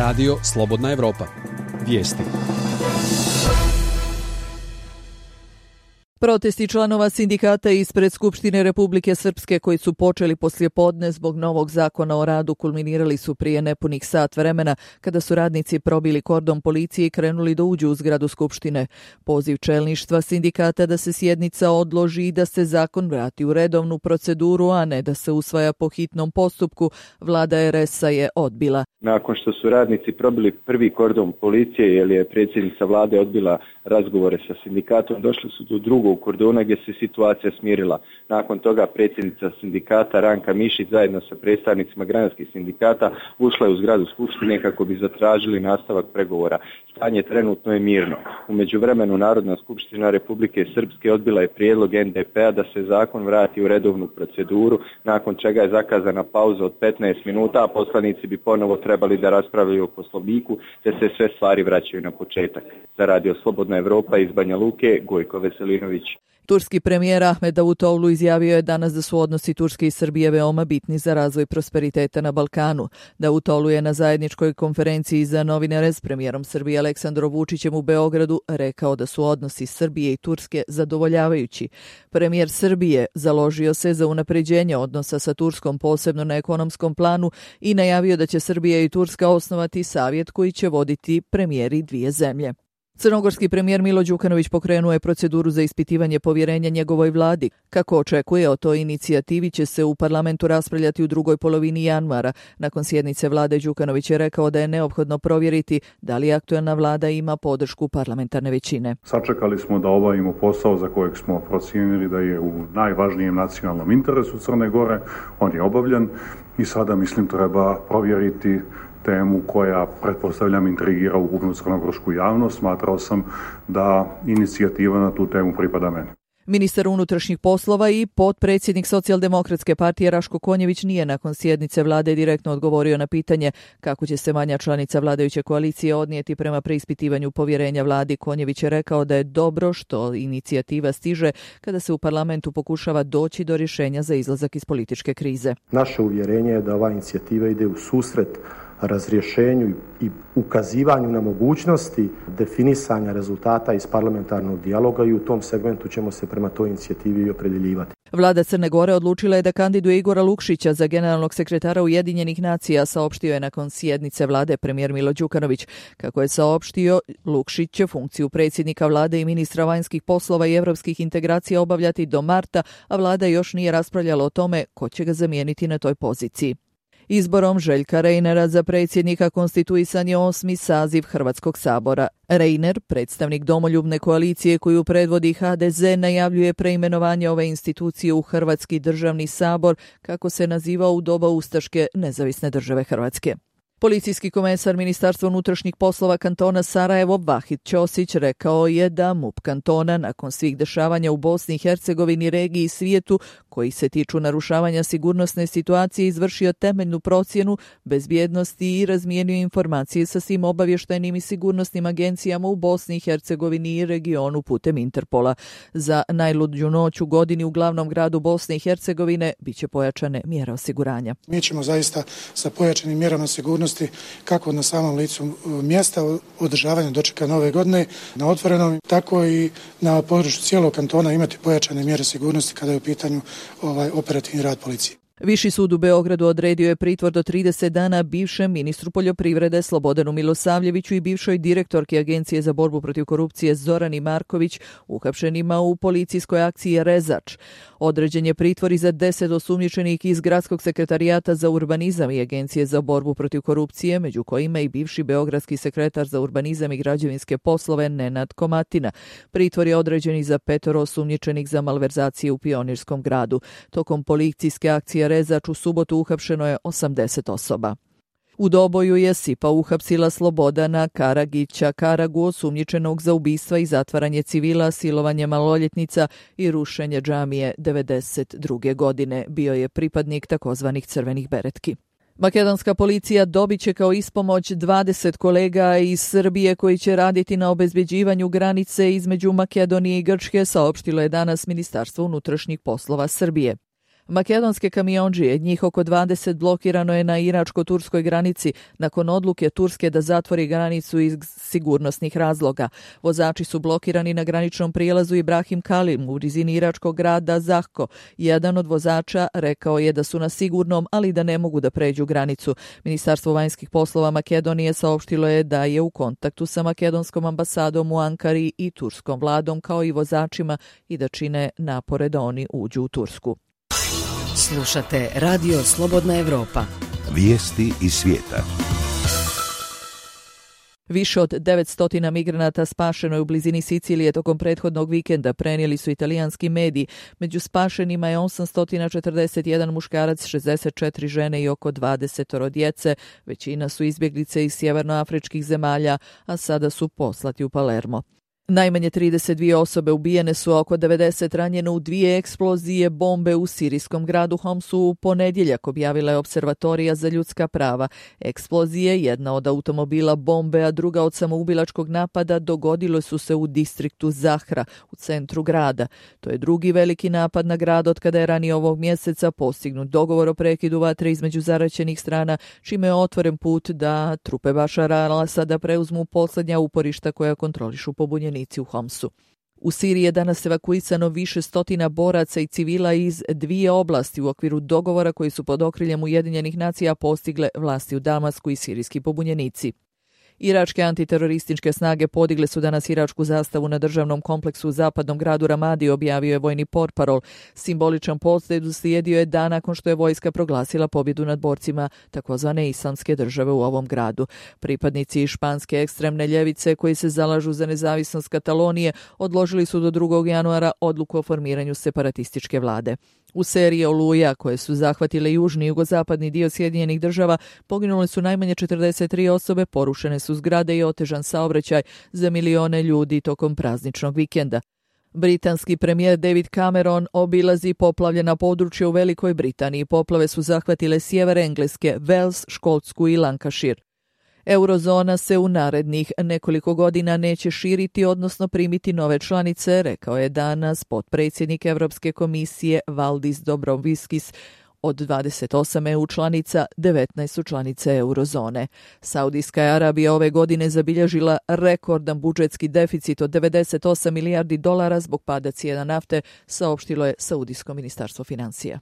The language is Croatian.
Radio Slobodna Evropa. Vijesti. Protesti članova sindikata ispred Skupštine Republike Srpske koji su počeli poslijepodne zbog novog zakona o radu kulminirali su prije nepunih sat vremena kada su radnici probili kordon policije i krenuli da uđu u zgradu Skupštine. Poziv čelništva sindikata da se sjednica odloži i da se zakon vrati u redovnu proceduru, a ne da se usvaja po hitnom postupku, vlada RS-a je odbila. Nakon što su radnici probili prvi kordon policije jer je predsjednica vlade odbila razgovore sa sindikatom, došli su do drugog kordona gdje se situacija smirila. Nakon toga predsjednica sindikata Ranka Mišić zajedno sa predstavnicima granskih sindikata ušla je u zgradu Skupštine kako bi zatražili nastavak pregovora. Stanje trenutno je mirno. U međuvremenu Narodna skupština Republike Srpske odbila je prijedlog NDP-a da se zakon vrati u redovnu proceduru, nakon čega je zakazana pauza od 15 minuta, a poslanici bi ponovo trebali da raspravljaju o Poslovniku, te se sve stvari vraćaju na početak. Za Radio Slobodna Evropa iz Banja Luke, Gojko Veselinović. Turski premijer Ahmed Davutoglu izjavio je danas da su odnosi Turske i Srbije veoma bitni za razvoj prosperiteta na Balkanu. Davutoglu je na zajedničkoj konferenciji za novinare s premijerom Srbije Aleksandrom Vučićem u Beogradu rekao da su odnosi Srbije i Turske zadovoljavajući. Premijer Srbije založio se za unapređenje odnosa sa Turskom posebno na ekonomskom planu i najavio da će Srbija i Turska osnovati savjet koji će voditi premijeri dvije zemlje. Crnogorski premijer Milo Đukanović pokrenuo je proceduru za ispitivanje povjerenja njegovoj vladi. Kako očekuje, o toj inicijativi će se u parlamentu raspravljati u drugoj polovini januara. Nakon sjednice vlade Đukanović je rekao da je neophodno provjeriti da li aktuelna vlada ima podršku parlamentarne većine. Sačekali smo da obavimo posao za kojeg smo procijenili da je u najvažnijem nacionalnom interesu Crne Gore. On je obavljen i sada mislim treba provjeriti temu koja, pretpostavljam, intrigira ukupnu crnogorsku javnost. Smatrao sam da inicijativa na tu temu pripada meni. Ministar unutrašnjih poslova i potpredsjednik Socijaldemokratske partije Raško Konjević nije nakon sjednice vlade direktno odgovorio na pitanje kako će se manja članica vladajuće koalicije odnijeti prema preispitivanju povjerenja vladi. Konjević je rekao da je dobro što inicijativa stiže kada se u parlamentu pokušava doći do rješenja za izlazak iz političke krize. Naše uvjerenje je da ova inicijativa ide u susret razrješenju i ukazivanju na mogućnosti definisanja rezultata iz parlamentarnog dijaloga i u tom segmentu ćemo se prema toj inicijativi i opredjeljivati. Vlada Crne Gore odlučila je da kandiduje Igora Lukšića za generalnog sekretara Ujedinjenih nacija, saopštio je nakon sjednice vlade premijer Milo Đukanović. Kako je saopštio, Lukšić će funkciju predsjednika vlade i ministra vanjskih poslova i evropskih integracija obavljati do marta, a vlada još nije raspravljala o tome ko će ga zamijeniti na toj poziciji. Izborom Željka Reinera za predsjednika konstituisan je 8. saziv Hrvatskog sabora. Reiner, predstavnik domoljubne koalicije koju predvodi HDZ, najavljuje preimenovanje ove institucije u Hrvatski državni sabor, kako se naziva u doba ustaške nezavisne države Hrvatske. Policijski komesar Ministarstva unutrašnjih poslova kantona Sarajevo Vahid Ćosić rekao je da MUP kantona nakon svih dešavanja u Bosni i Hercegovini, regiji i svijetu koji se tiču narušavanja sigurnosne situacije izvršio temeljnu procjenu bezbjednosti i razmijenio informacije sa svim obavještajnim i sigurnosnim agencijama u Bosni i Hercegovini i regionu putem Interpola. Za najluđu noć u godini u glavnom gradu Bosne i Hercegovine biće pojačane mjere osiguranja. Mi ćemo zaista sa pojačanim mjerama sigurnosti kako na samom licu mjesta održavanja dočeka nove godine na otvorenom, tako i na području cijelog kantona imati pojačane mjere sigurnosti kada je u pitanju operativni rad policije. Viši sud u Beogradu odredio je pritvor do 30 dana bivšem ministru poljoprivrede Slobodanu Milosavljeviću i bivšoj direktorki Agencije za borbu protiv korupcije Zorani Marković, uhapšenima u policijskoj akciji Rezač. Određen je pritvor i za 10 osumnjičenih iz Gradskog sekretarijata za urbanizam i Agencije za borbu protiv korupcije, među kojima i bivši beogradski sekretar za urbanizam i građevinske poslove Nenad Komatina. Pritvor je određen i za 5 osumnjičenih za malverzacije u Pionirskom gradu. Tokom policijske akcije Rezač u subotu uhapšeno je 80 osoba. U Doboju je SIPA uhapsila Slobodana Karagića Karagu, osumnjičenog za ubistva i zatvaranje civila, silovanje maloljetnica i rušenje džamije 92. godine. Bio je pripadnik takozvanih crvenih beretki. Makedonska policija dobit će kao ispomoć 20 kolega iz Srbije koji će raditi na obezbeđivanju granice između Makedonije i Grčke, saopštilo je danas Ministarstvo unutrašnjih poslova Srbije. Makedonske kamiondžije, njih oko 20, blokirano je na iračko-turskoj granici nakon odluke Turske da zatvori granicu iz sigurnosnih razloga. Vozači su blokirani na graničnom prijelazu Ibrahim Kalim u blizini iračkog grada Zahko. Jedan od vozača rekao je da su na sigurnom, ali da ne mogu da pređu granicu. Ministarstvo vanjskih poslova Makedonije saopštilo je da je u kontaktu sa makedonskom ambasadom u Ankari i turskom vladom, kao i vozačima, i da čine napore da oni uđu u Tursku. Slušate Radio Slobodna Evropa. Vijesti iz svijeta. Više od 900 migranata spašeno je u blizini Sicilije tokom prethodnog vikenda, prenijeli su italijanski mediji. Među spašenima je 841 muškarac, 64 žene i oko 20 djece. Većina su izbjeglice iz sjevernoafričkih zemalja, a sada su poslati u Palermo. Najmanje 32 osobe ubijene su, oko 90 ranjeno u 2 eksplozije bombe u sirijskom gradu Homsu u ponedjeljak, objavila je Observatorija za ljudska prava. Eksplozije, jedna od automobila bombe, a druga od samoubilačkog napada, dogodilo su se u distriktu Zahra, u centru grada. To je drugi veliki napad na grad od kada je ranije ovog mjeseca postignut dogovor o prekidu vatre između zaraćenih strana, čime je otvoren put da trupe Bašara al-Asada preuzmu posljednja uporišta koja kontrolišu pobunjenici u Homsu. U Siriji je danas evakuisano više stotina boraca i civila iz 2 oblasti u okviru dogovora koji su pod okriljem Ujedinjenih nacija postigle vlasti u Damasku i sirijski pobunjenici. Iračke antiterorističke snage podigle su danas iračku zastavu na državnom kompleksu u zapadnom gradu Ramadi, objavio je vojni portparol. Simboličan posjet uslijedio je dan nakon što je vojska proglasila pobjedu nad borcima takozvane islamske države u ovom gradu. Pripadnici španske ekstremne ljevice koji se zalažu za nezavisnost Katalonije odložili su do 2. januara odluku o formiranju separatističke vlade. U seriji oluja koje su zahvatile južni i jugozapadni dio Sjedinjenih država poginule su najmanje 43 osobe, porušene su zgrade i otežan saobraćaj za milione ljudi tokom prazničnog vikenda. Britanski premijer David Cameron obilazi poplavljena područja u Velikoj Britaniji. Poplave su zahvatile sjever Engleske, Wales, Škotsku i Lancashire. Eurozona se u narednih nekoliko godina neće širiti, odnosno primiti nove članice, rekao je danas potpredsjednik Europske komisije Valdis Dombrovskis. Od 28 EU članica, 19 su članice eurozone. Saudijska Arabija ove godine zabilježila rekordan budžetski deficit od 98 milijardi dolara zbog pada cijena nafte, saopštilo je Saudijsko ministarstvo financija.